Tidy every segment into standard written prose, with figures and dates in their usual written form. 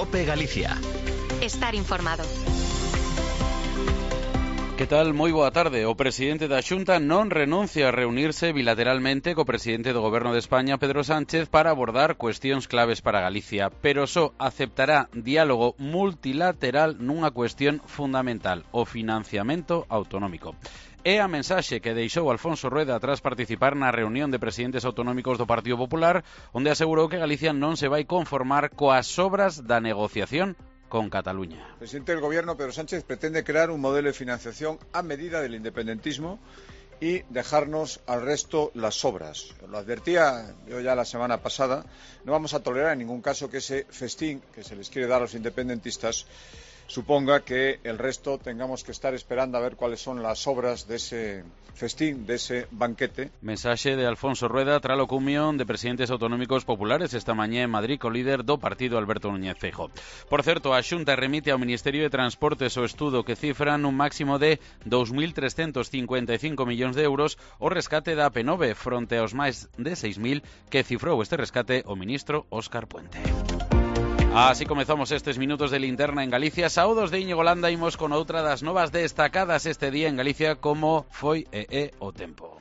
COPE Galicia. Estar informado. Que tal? Moi boa tarde. O presidente da Xunta non renuncia a reunirse bilateralmente co presidente do Goberno de España, Pedro Sánchez, para abordar cuestións claves para Galicia, pero só aceptará diálogo multilateral nunha cuestión fundamental, o financiamento autonómico. É a mensaxe que deixou Alfonso Rueda tras participar na reunión de presidentes autonómicos do Partido Popular, onde asegurou que Galicia non se vai conformar coas obras da negociación con Cataluña. El presidente del Gobierno, Pedro Sánchez, pretende crear un modelo de financiación a medida del independentismo y dejarnos al resto las obras. Lo advertía yo ya la semana pasada, no vamos a tolerar en ningún caso que ese festín que se les quiere dar a los independentistas suponga que el resto tengamos que estar esperando a ver cuáles son las obras de ese festín, de ese banquete. Mensaxe de Alfonso Rueda tras a cumbión de presidentes autonómicos populares esta mañá en Madrid co líder do partido Alberto Núñez Feijóo. Por certo, a Xunta remite ao Ministerio de Transportes o estudo que cifra nun máximo de 2.355 millóns de euros o rescate da AP9 fronte aos máis de 6.000 que cifrou este rescate o ministro Óscar Puente. Así comezamos estes minutos de linterna en Galicia. Saúdos de Íñigo Landa, imos con outra das novas destacadas este día en Galicia como foi e é o tempo.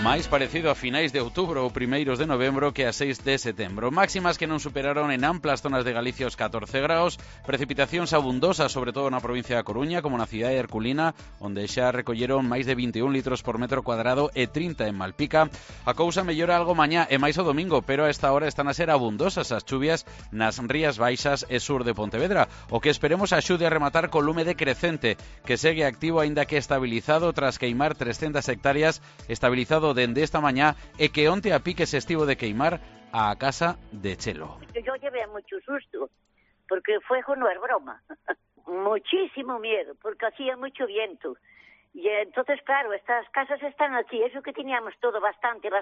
Máis parecido a finais de outubro ou primeiros de novembro que a 6 de setembro. Máximas que non superaron en amplas zonas de Galicia os 14 graus, precipitacións abundosas, sobre todo na provincia da Coruña, como na cidade de Herculina, onde xa recolleron máis de 21 litros por metro cuadrado e 30 en Malpica. A cousa mellora algo mañá e máis o domingo, pero a esta hora están a ser abundosas as chuvias nas rías baixas e sur de Pontevedra, o que esperemos axude a rematar co lume decrecente, que segue activo aínda que estabilizado tras queimar 300 hectáreas, estabilizado dende esta mañá e que onte a pique se estivo de queimar a casa de Chelo. Yo llevé mucho susto, porque fuego no es broma. Muchísimo miedo, porque hacía mucho viento. Y entonces, claro, estas casas están aquí, eso que teníamos todo bastante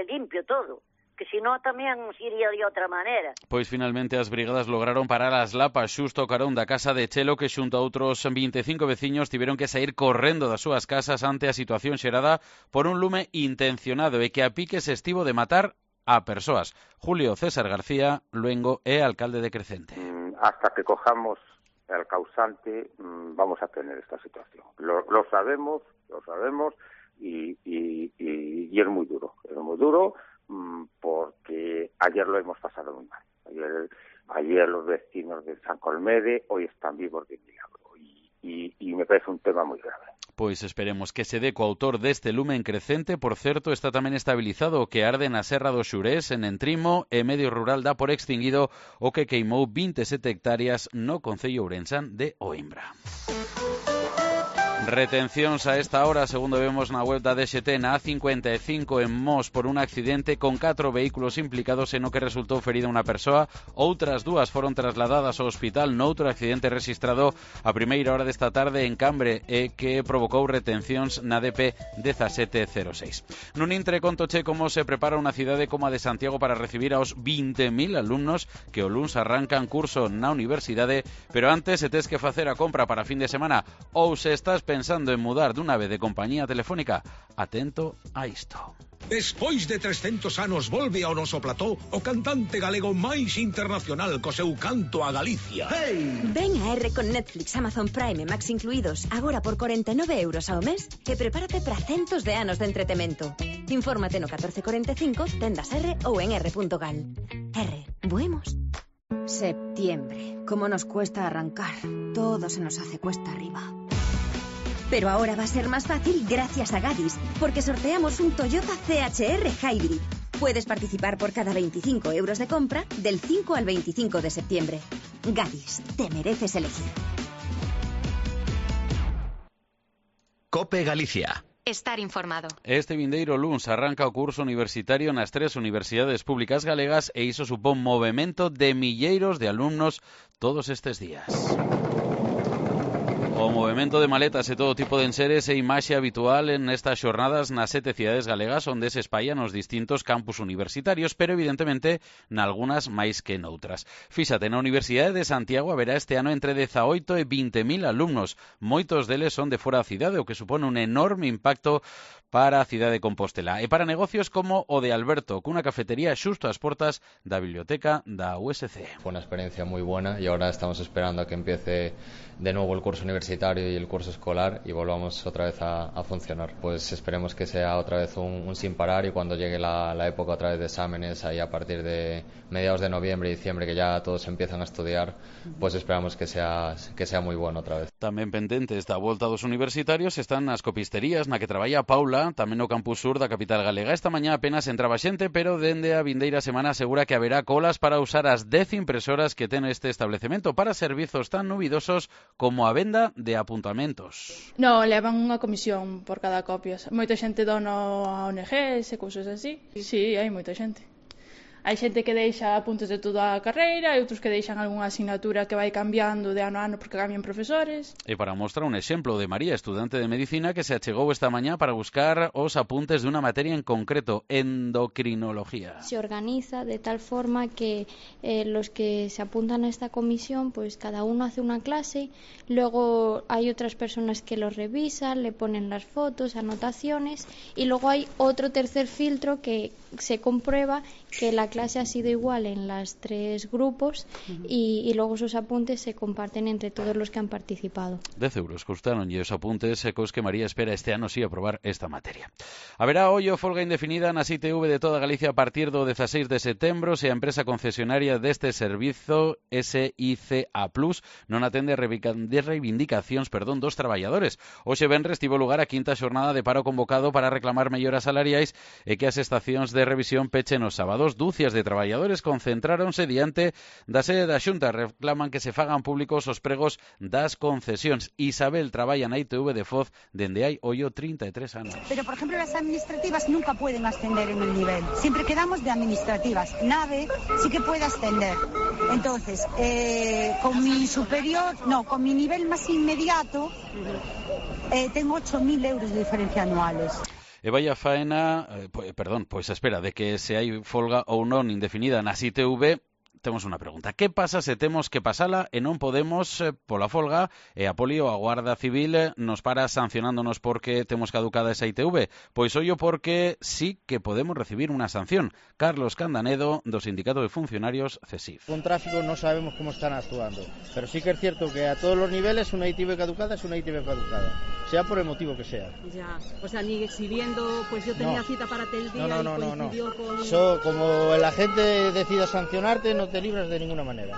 limpio todo. Que si no tamén iría de outra maneira. Pois finalmente as brigadas lograron parar as lapas xusto ao carón da casa de Chelo, que xunto a outros 25 veciños tiveron que sair correndo das súas casas ante a situación xerada por un lume intencionado e que a pique se estivo de matar a persoas. Julio César García Luengo é alcalde de Crecente. Hasta que cojamos el causante vamos a tener esta situación. Lo sabemos y es muy duro. Es muy duro porque ayer lo hemos pasado muy mal. Ayer los vecinos de San Colmede hoy están vivos de milagro y me parece un tema muy grave. Pois esperemos que se dé co autor deste lume en Crecente. Por certo, está tamén estabilizado o que arde na Serra do Xurés, en Entrimo, e medio rural dá por extinguido o que queimou 27 hectáreas no concello ourensán de Oimbra. Retencións a esta hora, segundo vemos na web da DXT, na A55 en Mos por un accidente con 4 vehículos implicados en o que resultou ferida unha persoa. Outras dúas foron trasladadas ao hospital noutro accidente rexistrado a primeira hora desta tarde en Cambre e que provocou retencións na DP 1706. Nun intre contoche como se prepara unha cidade como a de Santiago para recibir aos 20.000 alumnos que o luns arrancan curso na universidade, pero antes se tes que facer a compra para fin de semana ou se estás pensando en mudar dunha vez de compañía telefónica, atento a isto. Despois de 300 anos volve ao noso plató o cantante galego máis internacional co seu canto a Galicia. Hey! Ven a R con Netflix, Amazon Prime e Max incluídos, agora por 49 euros ao mes e prepárate para centos de anos de entretemento. Infórmate no 1445, tendas R ou en r.gal. R, buemos. Septiembre. ¿Cómo nos cuesta arrancar? Todo se nos hace cuesta arriba. Pero ahora va a ser más fácil gracias a Gadis, porque sorteamos un Toyota CHR Hybrid. Puedes participar por cada 25 euros de compra del 5 al 25 de septiembre. Gadis, te mereces elegir. COPE Galicia. Estar informado. Este vindeiro luns arranca o curso universitario nas 3 universidades públicas galegas e iso supón movemento de milleiros de alumnos todos estes días. O O movimento de maletas e todo tipo de enseres e imaxe habitual en estas xornadas nas 7 cidades galegas onde se espallan os distintos campus universitarios, pero evidentemente nalgunas máis que noutras. Fíxate, na Universidade de Santiago haberá este ano entre 18 e 20.000 alumnos. Moitos deles son de fora da cidade, o que supone un enorme impacto para a cidade de Compostela e para negocios como o de Alberto, cunha cafetería xusto ás portas da biblioteca da USC. Fue una experiencia muy buena y ahora estamos esperando a que empiece de nuevo el curso universitario y el curso escolar y volvamos otra vez a funcionar. Pues esperemos que sea otra vez un sin parar y cuando llegue la época otra vez de exámenes, ahí a partir de mediados de noviembre y diciembre, que ya todos empiezan a estudiar, pues esperamos que sea muy bueno otra vez. Tamén pendentes da volta dos universitarios están as copisterías na que traballa Paula, tamén no campus sur da capital galega. Esta mañá apenas entraba xente, pero dende a vindeira semana asegura que haberá colas para usar as 10 impresoras que ten este establecemento para servizos tan nubidosos como a venda de apuntamentos. No, levan unha comisión por cada copia. Moita xente dona a ONGs e cousas así. Sí, hai moita xente. Hai xente que deixa apuntes de toda a carreira e outros que deixan algunha asignatura que vai cambiando de ano a ano porque cambian profesores. E para mostrar un exemplo de María, estudante de medicina, que se achegou esta mañá para buscar os apuntes de unha materia en concreto, endocrinología. Se organiza de tal forma que los que se apuntan a esta comisión, pues cada uno hace una clase, luego hay otras personas que los revisan, le ponen las fotos, anotaciones, y luego hay otro tercer filtro que se comprueba que la clase ha sido igual en los 3 grupos y luego esos apuntes se comparten entre todos los que han participado. 10 euros costaron e os apuntes cos que María espera este ano sí aprobar esta materia. Haberá hoyo folga indefinida nas ITV de toda Galicia a partir do 16 de setembro se a empresa concesionaria deste servizo SICA Plus non atende reivindicacións dos traballadores. Hoxe venres tivo lugar a quinta xornada de paro convocado para reclamar melloras salariais e que as estacións de revisión pechen os sábados. Dúcias de traballadores concentráronse diante da sede da Xunta, reclaman que se fagan públicos os pregos das concesións. Isabel traballa na ITV de Foz dende hai hoyo 33 anos. Pero, por ejemplo, las administrativas nunca pueden ascender en el nivel. Siempre quedamos de administrativas. NAVE sí que puede ascender. Entonces, con mi superior, no, con mi nivel más inmediato, tengo 8.000 euros de diferencia anuales. E vai a faena, pois a espera de que se hai folga ou non indefinida nas ITV, temos unha pregunta. Que pasa se temos que pasala e non podemos pola folga e a Poli ou a Guarda Civil nos para sancionándonos porque temos caducada esa ITV? Pois ollo porque sí que podemos recibir unha sanción. Carlos Candanedo, do Sindicato de Funcionarios CESIF. Con tráfico no sabemos cómo están actuando, pero sí que es cierto que a todos los niveles una ITV caducada es una ITV caducada, sea por el motivo que sea. Ya, o sea, ni exhibiendo, pues yo tenía cita para tal día y coincidió con... Eso, como el agente decida sancionarte, no te libras de ninguna manera.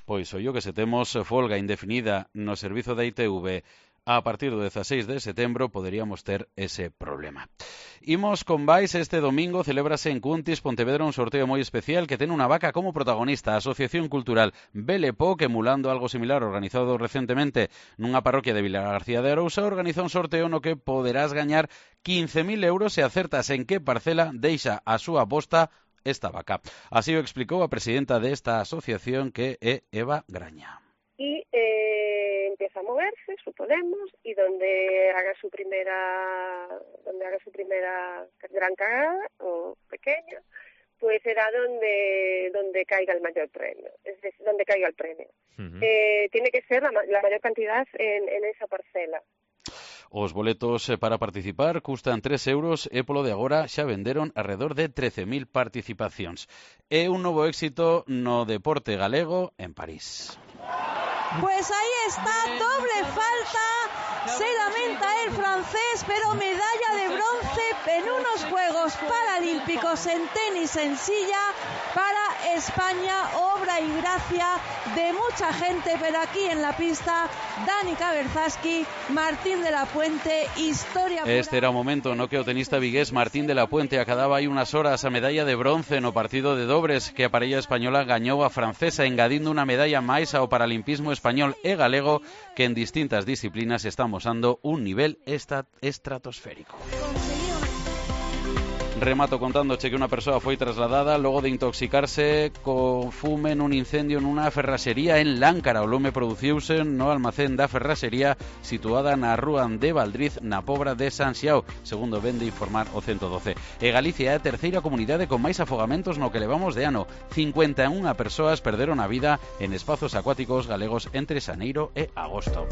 Pois ollo que se temos folga indefinida no servizo da ITV a partir do 16 de setembro poderíamos ter ese problema. Imos con Vais. Este domingo celébrase en Cuntis, Pontevedra, un sorteo moi especial que ten unha vaca como protagonista. A Asociación Cultural Belepo, que emulando algo similar organizado recentemente nunha parroquia de Vilar García de Arousa, organiza un sorteo no que poderás gañar 15.000 euros se acertas en que parcela deixa a súa posta esta vaca. Así o explicou a presidenta desta asociación, que é Eva Graña. Y empieza a moverse, suponemos, y donde haga su primera gran cagada o pequeña, pues será donde caiga el mayor premio, es decir, donde caiga el premio. Tiene que ser la mayor cantidad en esa parcela. Os boletos para participar custan 3 euros e polo de agora xa venderon alrededor de 13.000 participacións. É un novo éxito no deporte galego en París. Pues ahí está, doble falta, se lamenta el francés, pero medalla de bronce en unos Juegos Paralímpicos en tenis en silla para España, obra y gracia de mucha gente, pero aquí en la pista, Danica Berzaski, Martín de la Puente, historia pura. Este era o momento no que o tenista vigués Martín de la Puente acababa hai unas horas a medalla de bronce no partido de dobres que a parella española gañou a francesa, engadindo unha medalla máis ao paralimpismo español e galego, que en distintas disciplinas está mosando un nivel estratosférico. Remato contándoche que una persoa foi trasladada logo de intoxicarse co fume nun incendio nunha ferraxería en Láncara. O lume produciuse no almacén da ferraxería situada na rúa de Valdriz, na Pobra de San Xiao, segundo ven de informar o 112. E Galicia é a terceira comunidade con máis afogamentos no que levamos de ano. 51 persoas perderon a vida en espazos acuáticos galegos entre xaneiro e agosto.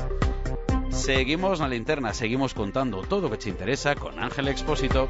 Seguimos na linterna, seguimos contando todo o que te interesa con Ángel Expósito.